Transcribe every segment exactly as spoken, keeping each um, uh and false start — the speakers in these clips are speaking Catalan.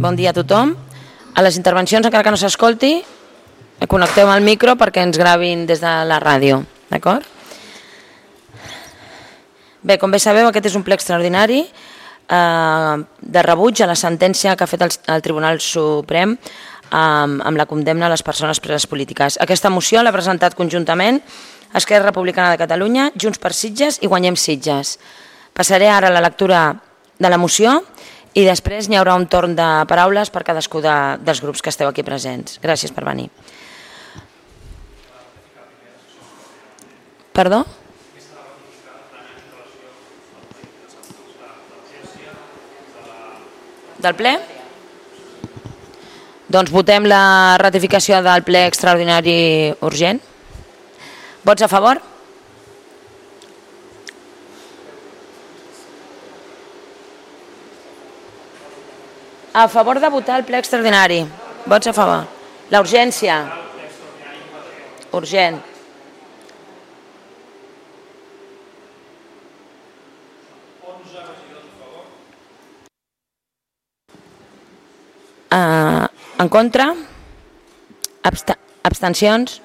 Bon dia a tothom. A les intervencions, encara que no s'escolti, connecteu el micro perquè ens gravin des de la ràdio, d'acord? Bé, com bé sabeu, aquest és un ple extraordinari eh, de rebuig a la sentència que ha fet el, el Tribunal Suprem eh, amb la condemna a les persones preses polítiques. Aquesta moció l'ha presentat conjuntament Esquerra Republicana de Catalunya, Junts per Sitges i Guanyem Sitges. Passaré ara a la lectura de la moció i després n'hi haurà un torn de paraules per cadascú de, dels grups que esteu aquí presents. Gràcies per venir. Perdó? Del ple? Doncs votem la ratificació del ple extraordinari urgent. Vots a favor? A favor de votar el ple extraordinari. Vots a favor. La urgència. Urgent. Uh, en contra? Absta abstencions?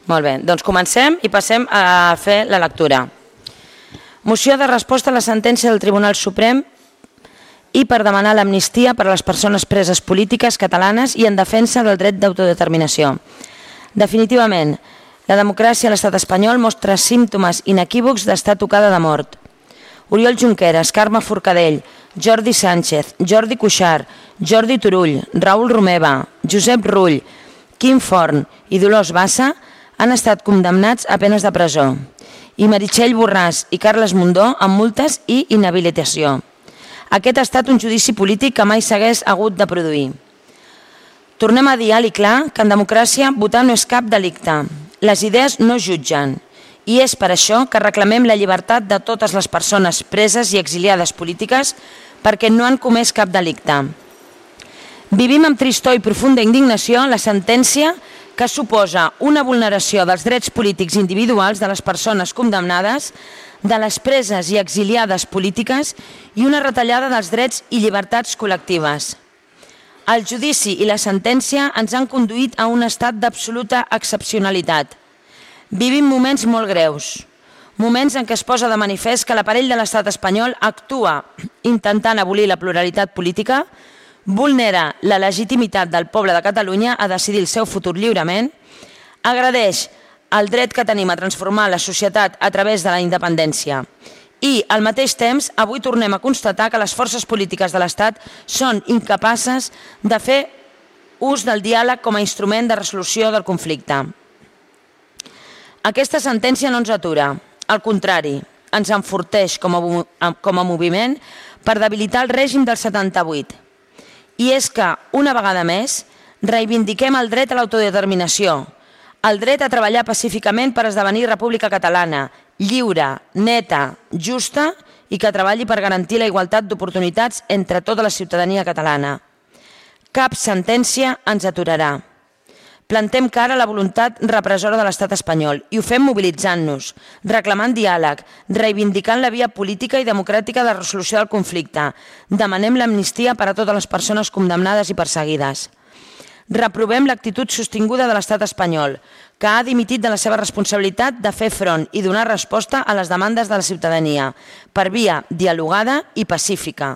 Molt bé, doncs comencem i passem a fer la lectura. Moció de resposta a la sentència del Tribunal Suprem i per demanar l'amnistia per a les persones preses polítiques catalanes i en defensa del dret d'autodeterminació. Definitivament, la democràcia a l'estat espanyol mostra símptomes inequívocs d'estar tocada de mort. Oriol Junqueras, Carme Forcadell, Jordi Sánchez, Jordi Cuixart, Jordi Turull, Raül Romeva, Josep Rull, Quim Forn i Dolors Bassa han estat condemnats a penes de presó, i Meritxell Borràs i Carles Mundó amb multes i inhabilitació. Aquest ha estat un judici polític que mai s'hagués hagut de produir. Tornem a dir alt i clar que en democràcia votar no és cap delicte. Les idees no jutgen. I és per això que reclamem la llibertat de totes les persones preses i exiliades polítiques perquè no han comès cap delicte. Vivim amb tristor i profunda indignació la sentència que suposa una vulneració dels drets polítics individuals de les persones condemnades, de les preses i exiliades polítiques i una retallada dels drets i llibertats col·lectives. El judici i la sentència ens han conduït a un estat d'absoluta excepcionalitat. Vivim moments molt greus, moments en què es posa de manifest que l'aparell de l'estat espanyol actua intentant abolir la pluralitat política, vulnera la legitimitat del poble de Catalunya a decidir el seu futur lliurement, agredeix el dret que tenim a transformar la societat a través de la independència i, al mateix temps, avui tornem a constatar que les forces polítiques de l'Estat són incapaces de fer ús del diàleg com a instrument de resolució del conflicte. Aquesta sentència no ens atura, al contrari, ens enforteix com a, com a moviment per debilitar el règim del setanta-vuit. I és que, una vegada més, reivindiquem el dret a l'autodeterminació, el dret a treballar pacíficament per esdevenir República Catalana, lliure, neta, justa i que treballi per garantir la igualtat d'oportunitats entre tota la ciutadania catalana. Cap sentència ens aturarà. Plantem cara a la voluntat repressora de l'estat espanyol i ho fem mobilitzant-nos, reclamant diàleg, reivindicant la via política i democràtica de resolució del conflicte. Demanem l'amnistia per a totes les persones condemnades i perseguides. Reprovem l'actitud sostinguda de l'estat espanyol, que ha dimitit de la seva responsabilitat de fer front i donar resposta a les demandes de la ciutadania, per via dialogada i pacífica.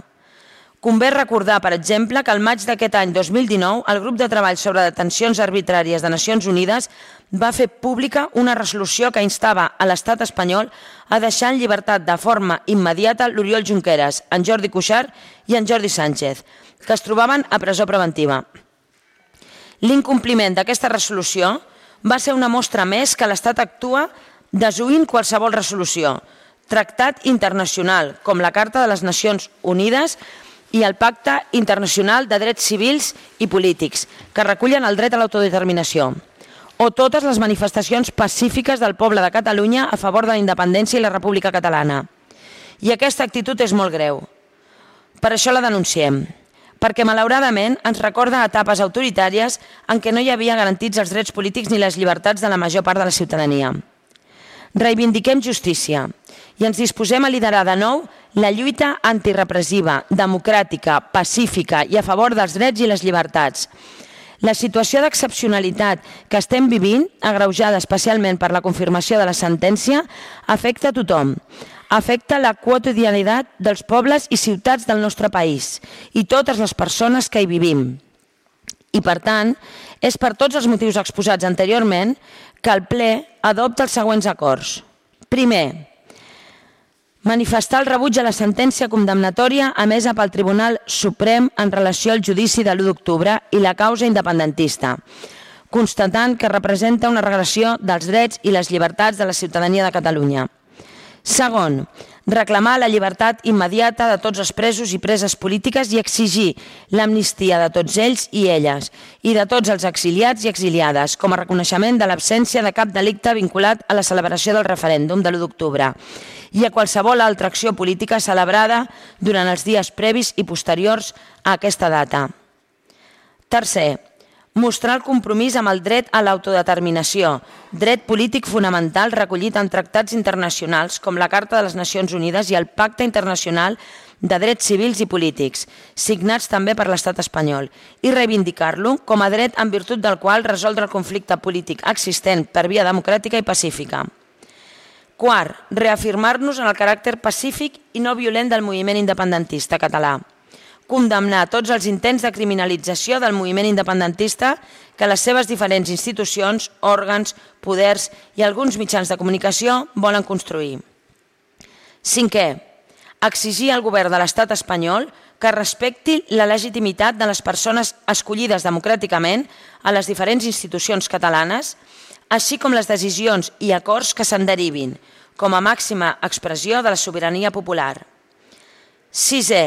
Convé recordar, per exemple, que al maig d'aquest any dos mil dinou el grup de treball sobre detencions arbitràries de Nacions Unides va fer pública una resolució que instava a l'estat espanyol a deixar en llibertat de forma immediata l'Oriol Junqueras, en Jordi Cuixart i en Jordi Sánchez, que es trobaven a presó preventiva. L'incompliment d'aquesta resolució va ser una mostra més que l'Estat actua desoint qualsevol resolució, tractat internacional, com la Carta de les Nacions Unides i el Pacte Internacional de Drets Civils i Polítics, que recullen el dret a l'autodeterminació, o totes les manifestacions pacífiques del poble de Catalunya a favor de la independència i la República Catalana. I aquesta actitud és molt greu. Per això la denunciem, perquè malauradament ens recorda etapes autoritàries en què no hi havia garantits els drets polítics ni les llibertats de la major part de la ciutadania. Reivindiquem justícia i ens disposem a liderar de nou la lluita antirepressiva, democràtica, pacífica i a favor dels drets i les llibertats. La situació d'excepcionalitat que estem vivint, agreujada especialment per la confirmació de la sentència, afecta a tothom. Afecta la quotidianitat dels pobles i ciutats del nostre país i totes les persones que hi vivim. I, per tant, és per tots els motius exposats anteriorment que el ple adopta els següents acords. Primer, manifestar el rebuig a la sentència condemnatòria emesa pel Tribunal Suprem en relació al judici de l'u d'octubre i la causa independentista, constatant que representa una regressió dels drets i les llibertats de la ciutadania de Catalunya. Segon, reclamar la llibertat immediata de tots els presos i preses polítiques i exigir l'amnistia de tots ells i elles i de tots els exiliats i exiliades com a reconeixement de l'absència de cap delicte vinculat a la celebració del referèndum de l'u d'octubre i a qualsevol altra acció política celebrada durant els dies previs i posteriors a aquesta data. Tercer, mostrar el compromís amb el dret a l'autodeterminació, dret polític fonamental recollit en tractats internacionals com la Carta de les Nacions Unides i el Pacte Internacional de Drets Civils i Polítics, signats també per l'Estat espanyol, i reivindicar-lo com a dret en virtut del qual resoldre el conflicte polític existent per via democràtica i pacífica. Quart, reafirmar-nos en el caràcter pacífic i no violent del moviment independentista català. Condemnar tots els intents de criminalització del moviment independentista que les seves diferents institucions, òrgans, poders i alguns mitjans de comunicació volen construir. Cinquè, exigir al govern de l'Estat espanyol que respecti la legitimitat de les persones escollides democràticament a les diferents institucions catalanes, així com les decisions i acords que se'n derivin, com a màxima expressió de la sobirania popular. Sisè,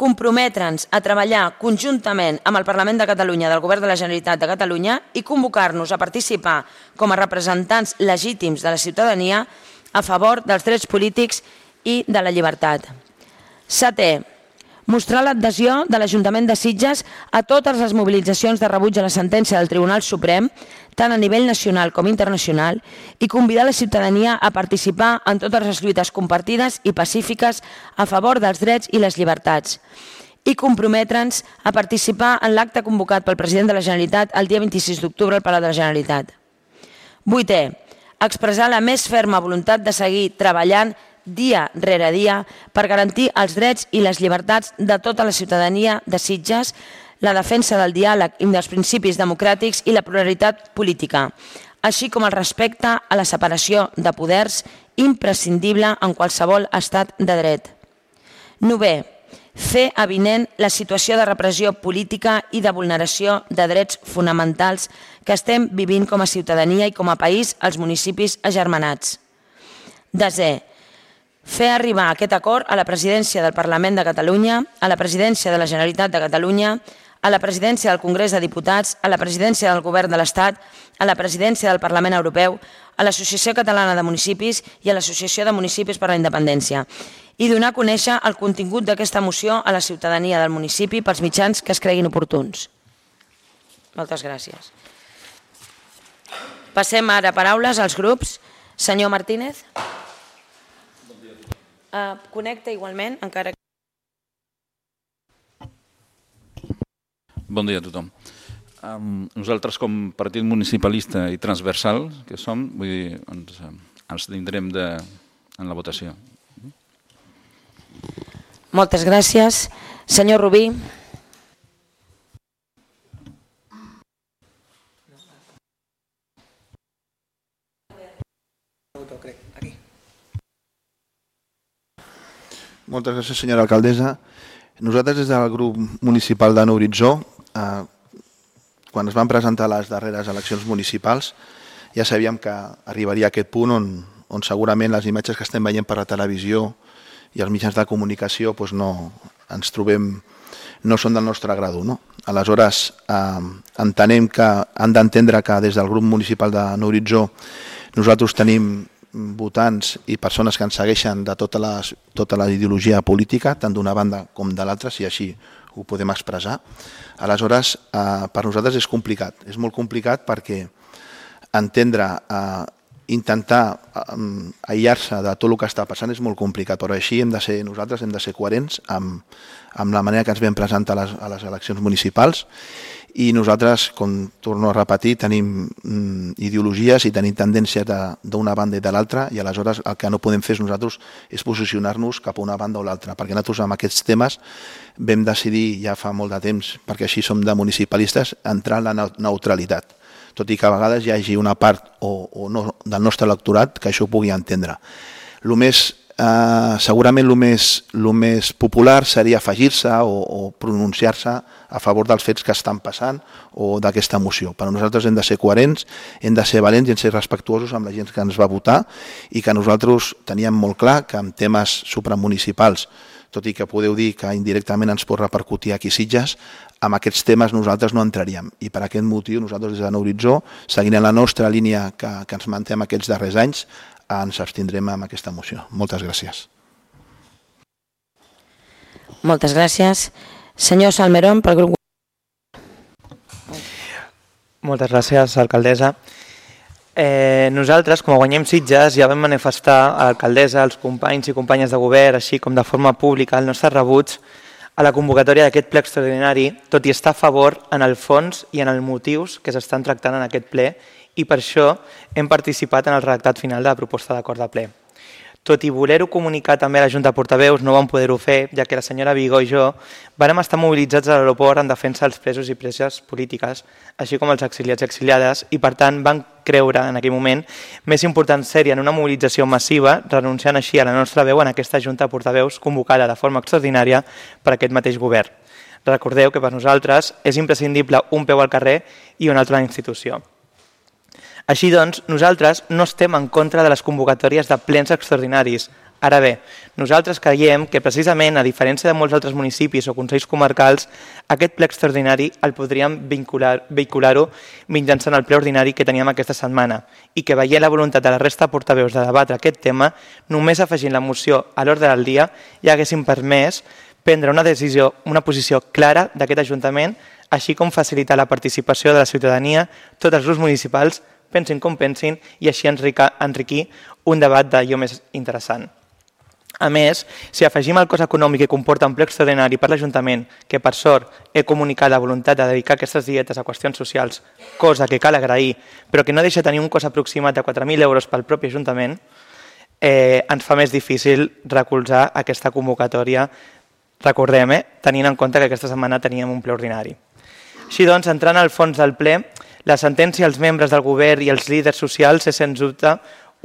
comprometre'ns a treballar conjuntament amb el Parlament de Catalunya del Govern de la Generalitat de Catalunya i convocar-nos a participar com a representants legítims de la ciutadania a favor dels drets polítics i de la llibertat. Setè, mostrar l'adhesió de l'Ajuntament de Sitges a totes les mobilitzacions de rebuig a la sentència del Tribunal Suprem, tant a nivell nacional com internacional, i convidar la ciutadania a participar en totes les lluites compartides i pacífiques a favor dels drets i les llibertats, i comprometre'ns a participar en l'acte convocat pel president de la Generalitat el dia vint-i-sis d'octubre al Palau de la Generalitat. Vuitè, expressar la més ferma voluntat de seguir treballant dia rere dia per garantir els drets i les llibertats de tota la ciutadania de Sitges, la defensa del diàleg i dels principis democràtics i la pluralitat política, així com el respecte a la separació de poders imprescindible en qualsevol estat de dret. Novè, fer avinent la situació de repressió política i de vulneració de drets fonamentals que estem vivint com a ciutadania i com a país als municipis agermanats. Desè, fer arribar aquest acord a la presidència del Parlament de Catalunya, a la presidència de la Generalitat de Catalunya, a la presidència del Congrés de Diputats, a la presidència del Govern de l'Estat, a la presidència del Parlament Europeu, a l'Associació Catalana de Municipis i a l'Associació de Municipis per la Independència, i donar a conèixer el contingut d'aquesta moció a la ciutadania del municipi pels mitjans que es creguin oportuns. Moltes gràcies. Passem ara a paraules als grups. Senyor Martínez. Uh, connecta igualment, encara que... Bon dia a tothom. Um, nosaltres, com partit municipalista i transversal que som, vull dir, ens, ens tindrem de, en la votació. Moltes gràcies. Senyor Rubí. Moltes gràcies, senyora alcaldessa. Nosaltres, des del grup municipal de Nou Horitzó, eh, quan es van presentar les darreres eleccions municipals, ja sabíem que arribaria a aquest punt on, on segurament les imatges que estem veient per la televisió i els mitjans de comunicació doncs no, ens trobem, no són del nostre grado. No? Aleshores, eh, entenem que han d'entendre que des del grup municipal de Nou Horitzó nosaltres tenim votants i persones que ens segueixen de tota la, tota la ideologia política, tant d'una banda com de l'altra, si així ho podem expressar. Aleshores, eh, per nosaltres és complicat. És molt complicat perquè entendre eh, intentar um, aïllar-se de tot el que està passant és molt complicat, però així hem de ser, nosaltres hem de ser coherents amb, amb la manera que ens vam presentar a les, a les eleccions municipals, i nosaltres, com torno a repetir, tenim mm, ideologies i tenim tendències d'una banda i de l'altra, i aleshores el que no podem fer nosaltres és posicionar-nos cap a una banda o l'altra, perquè nosaltres amb aquests temes vam decidir ja fa molt de temps, perquè així som de municipalistes, entrar en la neutralitat, tot i que a vegades hi hagi una part o, o no, del nostre electorat que això ho pugui entendre. El més Uh, segurament el més, el més popular seria afegir-se o, o pronunciar-se a favor dels fets que estan passant o d'aquesta moció. Però nosaltres hem de ser coherents, hem de ser valents i hem de ser respectuosos amb la gent que ens va votar, i que nosaltres teníem molt clar que en temes supramunicipals, tot i que podeu dir que indirectament ens pot repercutir aquí a Sitges, amb aquests temes nosaltres no entraríem, i per aquest motiu nosaltres des de Nou Horitzó, seguint en la nostra línia que, que ens mantem aquests darrers anys, ens abstindrem amb aquesta moció. Moltes gràcies. Moltes gràcies. Senyor Salmerón, pel grup... Moltes gràcies, alcaldessa. Eh, nosaltres, com a Guanyem Sitges, ja vam manifestar a l'alcaldessa, als companys i companyes de govern, així com de forma pública, el nostre rebuig a la convocatòria d'aquest ple extraordinari, tot i estar a favor en el fons i en els motius que s'estan tractant en aquest ple, i per això hem participat en el redactat final de la proposta d'acord de ple. Tot i voler-ho comunicar també a la Junta de Portaveus, no vam poder-ho fer, ja que la senyora Vigó i jo vàrem estar mobilitzats a l'aeroport en defensa dels presos i preses polítiques, així com els exiliats i exiliades, i per tant vam creure en aquell moment més important ser-hi en una mobilització massiva, renunciant així a la nostra veu en aquesta Junta de Portaveus convocada de forma extraordinària per aquest mateix govern. Recordeu que per nosaltres és imprescindible un peu al carrer i un altre a la institució. Així doncs, nosaltres no estem en contra de les convocatòries de plens extraordinaris. Ara bé, nosaltres creiem que precisament, a diferència de molts altres municipis o consells comarcals, aquest ple extraordinari el podríem vehicular-ho mitjançant el ple ordinari que teníem aquesta setmana, i que veient la voluntat de la resta de portaveus de debatre aquest tema, només afegint la moció a l'ordre del dia ja haguéssim permès prendre una decisió, una posició clara d'aquest Ajuntament, així com facilitar la participació de la ciutadania, tots els grups municipals, pensin com pensin, i així enriquir un debat d'allò més interessant. A més, si afegim el cost econòmic que comporta un ple extraordinari per l'Ajuntament, que per sort he comunicat la voluntat de dedicar aquestes dietes a qüestions socials, cosa que cal agrair, però que no deixa tenir un cost aproximat de quatre mil euros pel propi Ajuntament, eh, ens fa més difícil recolzar aquesta convocatòria, recordem, eh, tenint en compte que aquesta setmana teníem un ple ordinari. Així doncs, entrant al fons del ple, la sentència als membres del govern i als líders socials és, sens dubte,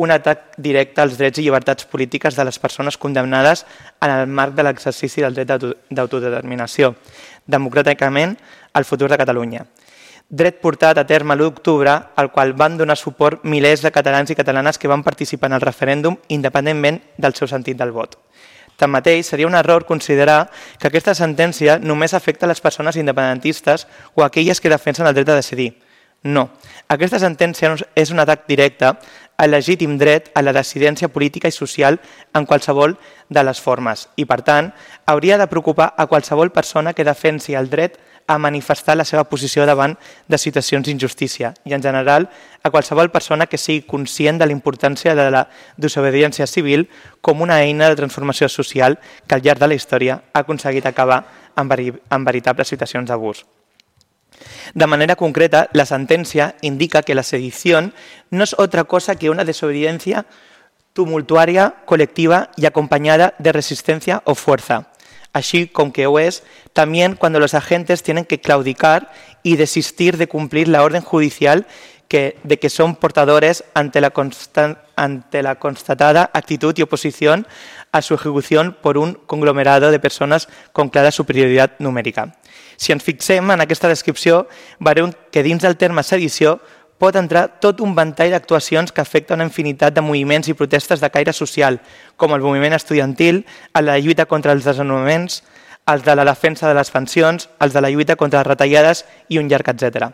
un atac directe als drets i llibertats polítiques de les persones condemnades en el marc de l'exercici del dret d'autodeterminació, democràticament al futur de Catalunya. Dret portat a terme l'u d'octubre, al qual van donar suport milers de catalans i catalanes que van participar en el referèndum independentment del seu sentit del vot. Tanmateix, seria un error considerar que aquesta sentència només afecta a les persones independentistes o a aquelles que defensen el dret a decidir. No. Aquesta sentència és un atac directe al legítim dret a la dissidència política i social en qualsevol de les formes i, per tant, hauria de preocupar a qualsevol persona que defensi el dret a manifestar la seva posició davant de situacions d'injustícia i, en general, a qualsevol persona que sigui conscient de la importància de la desobediència civil com una eina de transformació social que al llarg de la història ha aconseguit acabar amb veritables situacions d'abús. De manera concreta, la sentencia indica que la sedición no es otra cosa que una desobediencia tumultuaria, colectiva y acompañada de resistencia o fuerza, así como que o es también cuando los agentes tienen que claudicar y desistir de cumplir la orden judicial que, de que son portadores ante la, constan, ante la constatada actitud y oposición a su ejecución por un conglomerado de personas con clara superioridad numèrica. Si ens fixem en aquesta descripció, veurem que dins del terme sedició pot entrar tot un ventall d'actuacions que afecten una infinitat de moviments i protestes de caire social, com el moviment estudiantil, el de la lluita contra els desnonaments, els de la defensa de les pensions, els de la lluita contra les retallades i un llarg etcètera.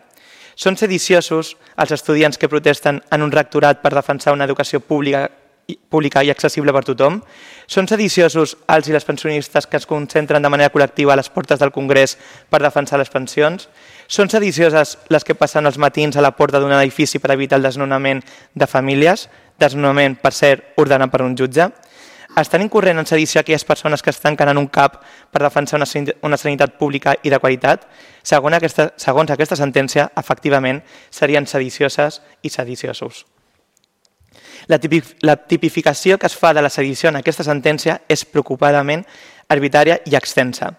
Són sediciosos els estudiants que protesten en un rectorat per defensar una educació pública pública i accessible per tothom? Són sediciosos els i les pensionistes que es concentren de manera col·lectiva a les portes del Congrés per defensar les pensions? Són sedicioses les que passen els matins a la porta d'un edifici per evitar el desnonament de famílies? Desnonament, per cert, ordenat per un jutge? Estan incorrent en sedició aquelles persones que estan canant un cap per defensar una, una sanitat pública i de qualitat? Segons aquesta, segons aquesta sentència, efectivament, serien sedicioses i sediciosos. La, tipif la tipificació que es fa de la sedició en aquesta sentència és preocupadament arbitrària i extensa.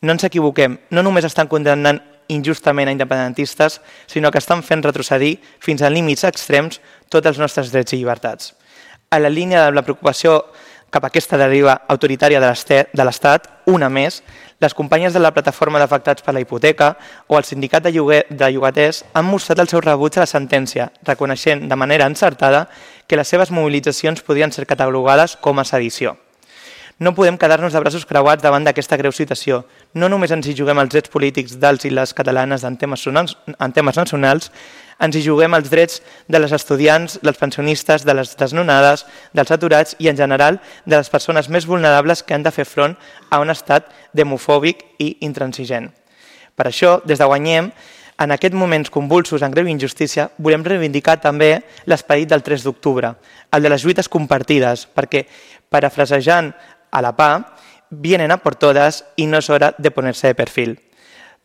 No ens equivoquem, no només estan condemnant injustament a independentistes, sinó que estan fent retrocedir fins a límits extrems tots els nostres drets i llibertats. A la línia de la preocupació cap a aquesta deriva autoritària de l'Estat, una més, les companyes de la plataforma d'afectats per la hipoteca o el sindicat de, lloguer, de llogaters han mostrat el seu rebuig a la sentència, reconeixent de manera encertada que les seves mobilitzacions podien ser catalogades com a sedició. No podem quedar-nos de braços creuats davant d'aquesta greu situació. No només ens hi juguem els drets polítics dels i les catalanes en temes, en temes nacionals, ens hi juguem els drets de les estudiants, dels pensionistes, de les desnonades, dels aturats i, en general, de les persones més vulnerables que han de fer front a un estat demofòbic i intransigent. Per això, des de Guanyem, en aquests moments convulsos en greu injustícia, volem reivindicar també l'esperit del tres d'octubre, el de les lluites compartides, perquè, parafrasejant a la P A, vienen a por todas i no és hora de ponerse de perfil.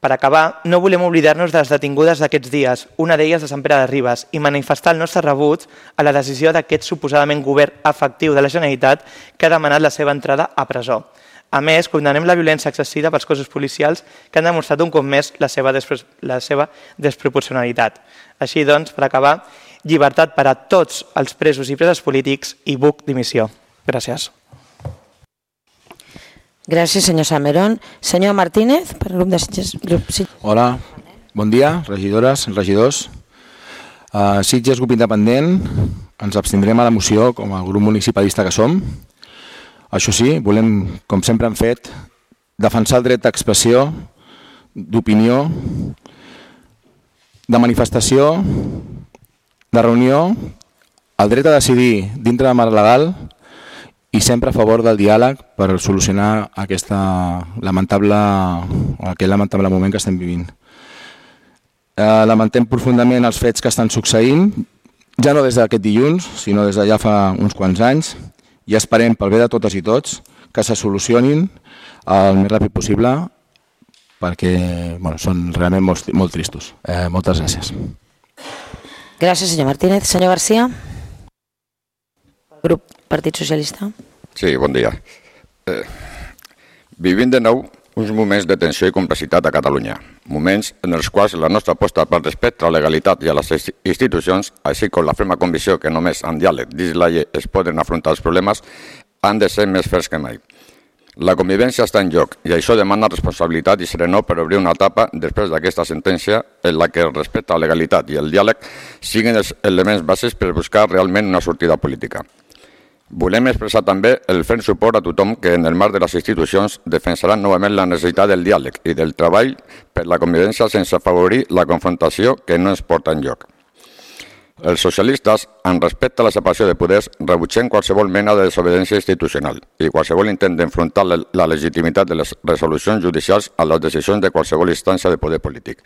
Per acabar, no volem oblidar-nos de les detingudes d'aquests dies, una d'elles de Sant Pere de Ribes, i manifestar el nostre rebuig a la decisió d'aquest suposadament govern efectiu de la Generalitat que ha demanat la seva entrada a presó. A més, condemnem la violència exercida pels cossos policials que han demostrat un cop més la seva, la seva desproporcionalitat. Així doncs, per acabar, llibertat per a tots els presos i preses polítics i buc dimissió. Gràcies. Gràcies, senyor Salmerón. Senyor Martínez, per grup de Sitges. Hola, bon dia, regidores, regidors. Uh, Sitges, grup independent, ens abstindrem a la moció com a grup municipalista que som. Això sí, volem, com sempre hem fet, defensar el dret d'expressió, d'opinió, de manifestació, de reunió, el dret a decidir dintre del marc legal i sempre a favor del diàleg per solucionar aquesta lamentable, aquest lamentable moment que estem vivint. Eh, lamentem profundament els fets que estan succeint, ja no des d'aquest dilluns, sinó des de ja fa uns quants anys, i esperem, pel bé de totes i tots, que se solucionin el més ràpid possible, perquè bueno, són realment molt, molt tristos. Eh, moltes gràcies. Gràcies, senyor Martínez. Senyor García, grup Partit Socialista. Sí, bon dia. Eh, vivim de nou uns moments de tensió i complexitat a Catalunya, moments en els quals la nostra aposta pel respecte a la legalitat i a les institucions, així com la ferma convicció que només amb diàleg dins la llei es poden afrontar els problemes, han de ser més ferms que mai. La convivència està en joc i això demana responsabilitat i serenor per obrir una etapa després d'aquesta sentència en la que el respecte a la legalitat i el diàleg siguin els elements bases per buscar realment una sortida política. Volem expressar també el ferm suport a tothom que en el marc de les institucions defensarà novament la necessitat del diàleg i del treball per la convivència sense afavorir la confrontació que no ens porta enlloc. Els socialistes, en respecte a la separació de poders, rebutgem qualsevol mena de desobediència institucional i qualsevol intent d'enfrontar la legitimitat de les resolucions judicials a les decisions de qualsevol instància de poder polític.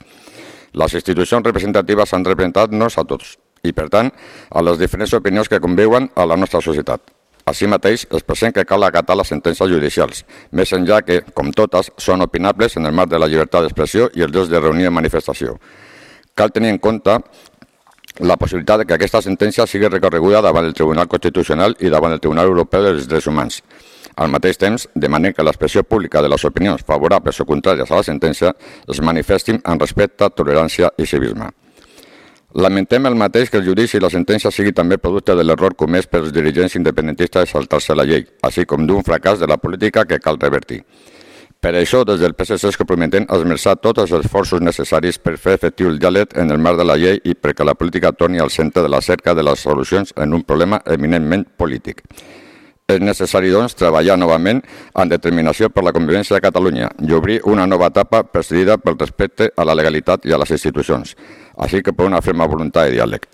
Les institucions representatives han representat-nos a tots i, per tant, a les diferents opinions que conviuen a la nostra societat. Així mateix, expressem que cal acatar les sentències judicials, més enllà que, com totes, són opinables en el marc de la llibertat d'expressió i els drets de reunió i manifestació. Cal tenir en compte la possibilitat que aquesta sentència sigui recorreguda davant el Tribunal Constitucional i davant el Tribunal Europeu dels Drets Humans. Al mateix temps, demanem que l'expressió pública de les opinions favorables o contràries a la sentència es manifestin en respecte, tolerància i civisme. Lamentem el mateix que el judici i la sentència sigui també producte de l'error comès pels dirigents independentistes de saltar-se la llei, així com d'un fracàs de la política que cal revertir. Per això, des del P S C es comprometem a esmerçar tots els esforços necessaris per fer efectiu el diàleg en el marc de la llei i perquè la política torni al centre de la cerca de les solucions en un problema eminentment polític. És necessari, doncs, treballar novament amb determinació per la convivència de Catalunya i obrir una nova etapa presidida pel respecte a la legalitat i a les institucions, així que per una ferma voluntat de diàleg.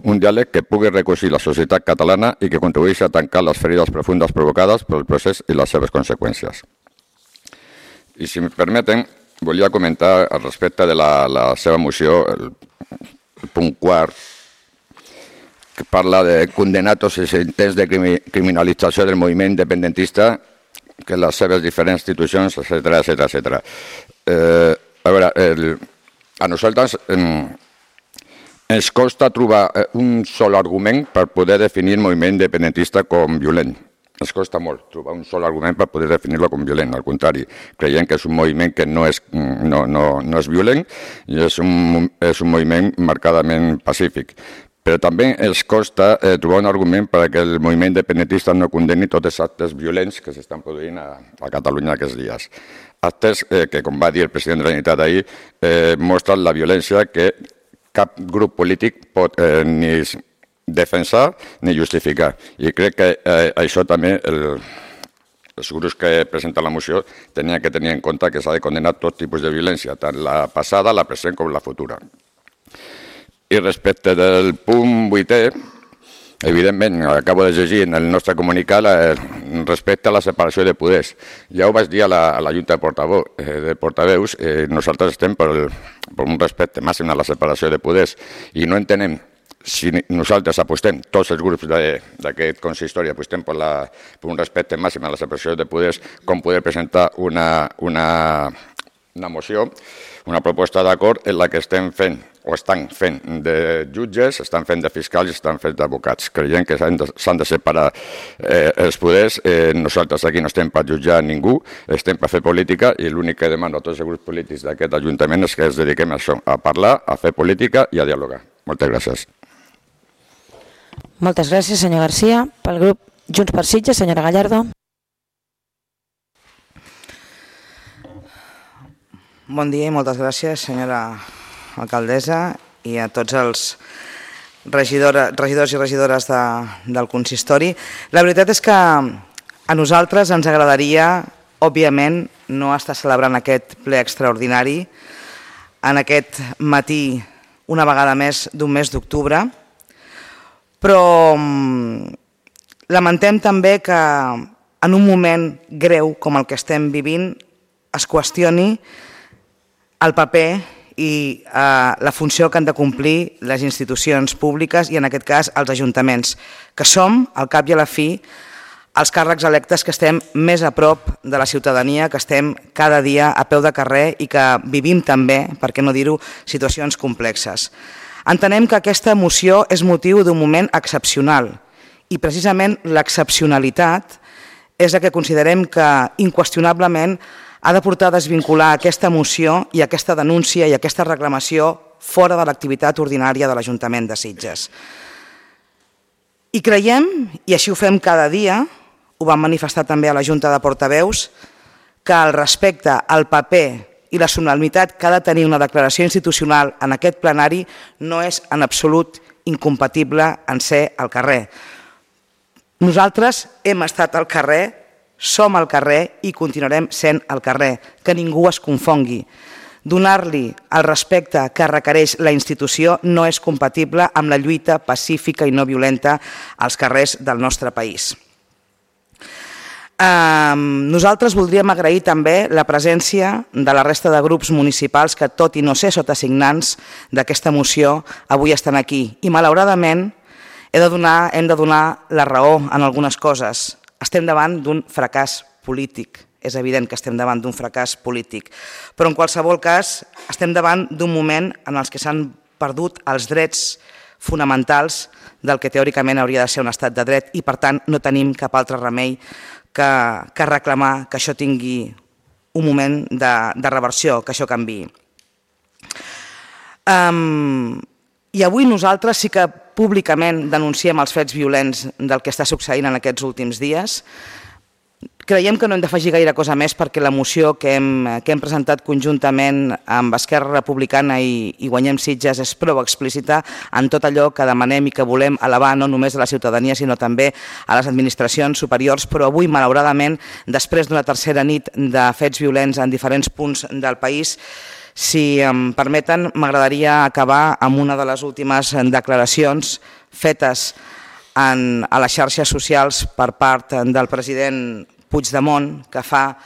un diàleg que pugui recosir la societat catalana i que contribueixi a tancar les ferides profundes provocades pel procés i les seves conseqüències. I si em permeten, volia comentar al respecte de la, la seva moció, el, el punt quart, que parla de condenar tots els intents de criminalització del moviment independentista, que les seves diferents institucions, etcètera, etcètera, etcètera. Eh, a veure, el, a nosaltres eh, ens costa trobar un sol argument per poder definir el moviment independentista com violent. Ens costa molt trobar un sol argument per poder definir-lo com violent. Al contrari, creiem que és un moviment que no és, no, no, no és violent i és un, és un moviment marcadament pacífic. Però també ens costa eh, trobar un argument perquè el moviment independentista no condemni tots els actes violents que s'estan produint a, a Catalunya aquests dies. Actes eh, que, com va dir el president de la Generalitat ahir, eh, mostren la violència que cap grup polític pot eh, ni defensar ni justificar. I crec que eh, això també el, els grups que presenten la moció tenien que tenir en compte que s'ha de condenar tot tipus de violència, tant la passada, la present com la futura. I respecte del punt vuitè, evidentment, acabo de llegir en el nostre comunicat respecte a la separació de poders. Ja ho vaig dir a la, a la Junta de, portaveu, eh, de Portaveus, eh, nosaltres estem per, el, per un respecte màxim a la separació de poders i no entenem si nosaltres apostem, tots els grups d'aquest consistori apostem per, la, per un respecte màxim a la separació de poders, com poder presentar una, una, una moció, una proposta d'acord en la que estem fent o estan fent de jutges, estan fent de fiscals i estan fent d'advocats. Creiem que s'han de, de separar eh, els poders. Eh, nosaltres aquí no estem per jutjar ningú, estem per fer política i l'únic que demano a tots els grups polítics d'aquest Ajuntament és que ens dediquem a això, a parlar, a fer política i a dialogar. Moltes gràcies. Moltes gràcies, senyor Garcia. Pel grup Junts per Sitges, senyora Gallardo. Bon dia i moltes gràcies, senyora alcaldessa, i a tots els regidora, regidors i regidores de, del consistori. La veritat és que a nosaltres ens agradaria, òbviament, no estar celebrant aquest ple extraordinari en aquest matí, una vegada més d'un mes d'octubre, però lamentem també que en un moment greu com el que estem vivint es qüestioni el paper i eh, la funció que han de complir les institucions públiques i en aquest cas els ajuntaments, que som, al cap i a la fi, els càrrecs electes que estem més a prop de la ciutadania, que estem cada dia a peu de carrer i que vivim també, per què no dir-ho, situacions complexes. Entenem que aquesta moció és motiu d'un moment excepcional i precisament l'excepcionalitat és el que considerem que inqüestionablement ha de portar a desvincular aquesta moció i aquesta denúncia i aquesta reclamació fora de l'activitat ordinària de l'Ajuntament de Sitges. I creiem, i així ho fem cada dia, ho vam manifestar també a la Junta de Portaveus, que el respecte al paper i la solemnitat que ha de tenir una declaració institucional en aquest plenari no és en absolut incompatible en ser al carrer. Nosaltres hem estat al carrer, som al carrer i continuarem sent al carrer, que ningú es confongui. Donar-li el respecte que requereix la institució no és compatible amb la lluita pacífica i no violenta als carrers del nostre país. Nosaltres voldríem agrair també la presència de la resta de grups municipals que, tot i no ser sotasignants d'aquesta moció, avui estan aquí. I malauradament he de donar, hem de donar la raó en algunes coses. Estem davant d'un fracàs polític. És evident que estem davant d'un fracàs polític. Però en qualsevol cas estem davant d'un moment en els que s'han perdut els drets fonamentals del que teòricament hauria de ser un estat de dret i per tant no tenim cap altre remei que, que reclamar que això tingui un moment de, de reversió, que això canviï. Um, I avui nosaltres sí que públicament denunciem els fets violents del que està succeint en aquests últims dies. Creiem que no hem d'afegir gaire cosa més perquè la moció que hem, que hem presentat conjuntament amb Esquerra Republicana i, i Guanyem Sitges és prou explícita en tot allò que demanem i que volem elevar no només a la ciutadania sinó també a les administracions superiors, però avui malauradament després d'una tercera nit de fets violents en diferents punts del país Si em permeten, m'agradaria acabar amb una de les últimes declaracions fetes en, a les xarxes socials per part del president Puigdemont, que fa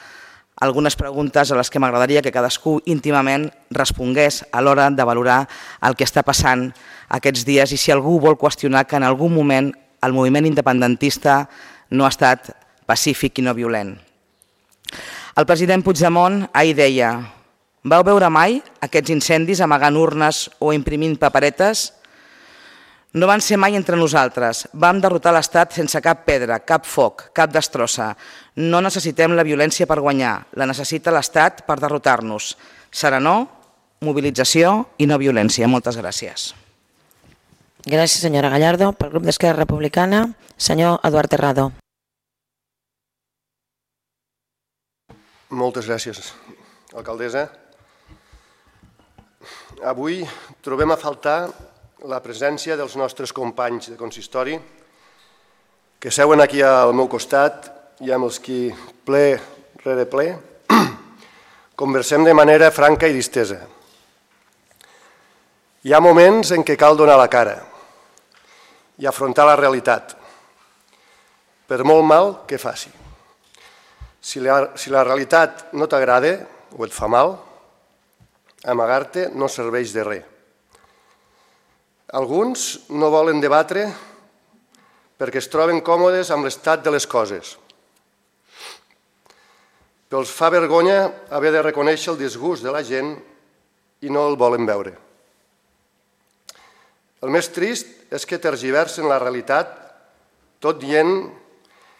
algunes preguntes a les que m'agradaria que cadascú íntimament respongués a l'hora de valorar el que està passant aquests dies i si algú vol qüestionar que en algun moment el moviment independentista no ha estat pacífic i no violent. El president Puigdemont ahir deia: vau veure mai aquests incendis amagant urnes o imprimint paperetes? No van ser mai entre nosaltres. Vam derrotar l'Estat sense cap pedra, cap foc, cap destrossa. No necessitem la violència per guanyar, la necessita l'Estat per derrotar-nos. Serenor, mobilització i no violència. Moltes gràcies. Gràcies, senyora Gallardo. Pel grup d'Esquerra Republicana, senyor Eduard Terrado. Moltes gràcies, alcaldessa. Avui trobem a faltar la presència dels nostres companys de consistori que seuen aquí al meu costat i amb els qui ple rere ple conversem de manera franca i distesa. Hi ha moments en què cal donar la cara i afrontar la realitat, per molt mal que faci. Si la, si la realitat no t'agrada o et fa mal, amagar-te no serveix de res. Alguns no volen debatre perquè es troben còmodes amb l'estat de les coses. Però els fa vergonya haver de reconèixer el disgust de la gent i no el volen veure. El més trist és que tergiversen la realitat tot dient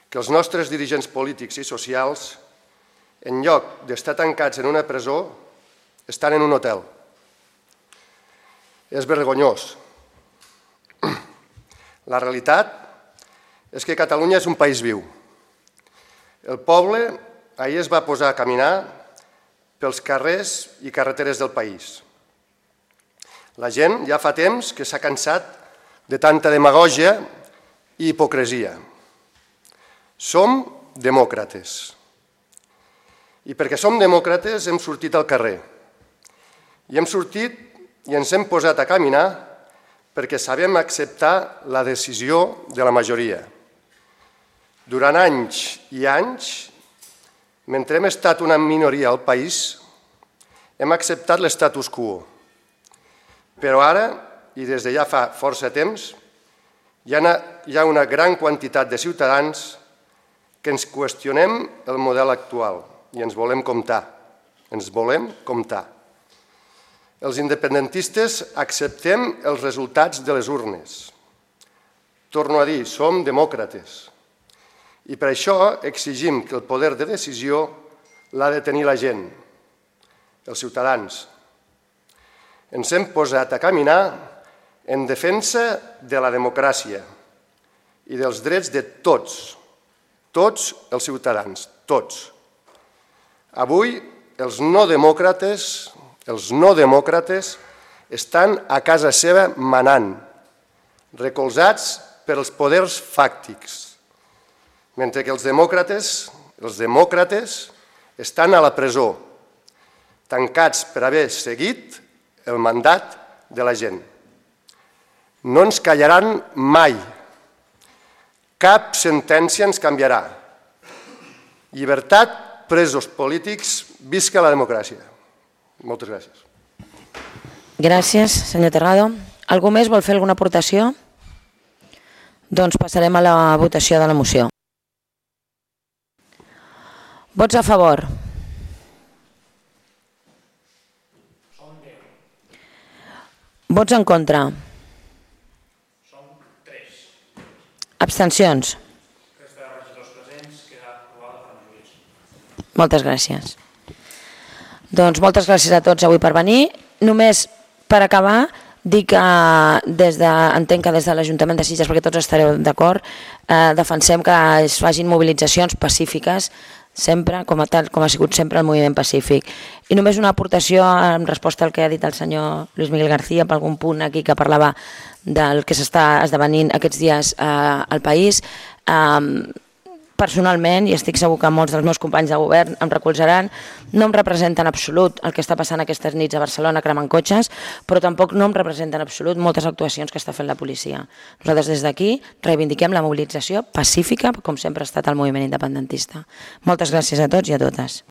que els nostres dirigents polítics i socials, en lloc d'estar tancats en una presó, estan en un hotel. És vergonyós. La realitat és que Catalunya és un país viu. El poble ahir es va posar a caminar pels carrers i carreteres del país. La gent ja fa temps que s'ha cansat de tanta demagògia i hipocresia. Som demòcrates. I perquè som demòcrates hem sortit al carrer. I hem sortit i ens hem posat a caminar perquè sabem acceptar la decisió de la majoria. Durant anys i anys, mentre hem estat una minoria al país, hem acceptat l'estatus quo. Però ara, i des de ja fa força temps, hi ha una gran quantitat de ciutadans que ens qüestionem el model actual i ens volem comptar. Ens volem comptar. Els independentistes acceptem els resultats de les urnes. Torno a dir, som demòcrates. I per això exigim que el poder de decisió l'ha de tenir la gent, els ciutadans. Ens hem posat a caminar en defensa de la democràcia i dels drets de tots, tots els ciutadans, tots. Avui els no demòcrates, els no demòcrates estan a casa seva manant, recolzats per els poders fàctics, mentre que els demòcrates, els demòcrates estan a la presó, tancats per haver seguit el mandat de la gent. No ens callaran mai. Cap sentència ens canviarà. Llibertat, presos polítics, visca la democràcia. Moltes gràcies. Gràcies, senyor Terrado. Algú més vol fer alguna aportació? Doncs passarem a la votació de la moció. Vots a favor. Vots en contra. Abstencions. Moltes gràcies. Doncs moltes gràcies a tots avui per venir. Només per acabar, dir que des de, entenc que des de l'Ajuntament de Sitges, perquè tots estareu d'acord, eh, defensem que es facin mobilitzacions pacífiques, sempre, com a tal, com ha sigut sempre el moviment pacífic. I només una aportació en resposta al que ha dit el senyor Luis Miguel García, per algun punt aquí que parlava del que s'està esdevenint aquests dies eh, al país. Eh, personalment, i estic segur que molts dels meus companys de govern em recolzaran, no em representa en absolut el que està passant aquestes nits a Barcelona cremant cotxes, però tampoc no em representa en absolut moltes actuacions que està fent la policia. Nosaltres des d'aquí reivindiquem la mobilització pacífica, com sempre ha estat el moviment independentista. Moltes gràcies a tots i a totes.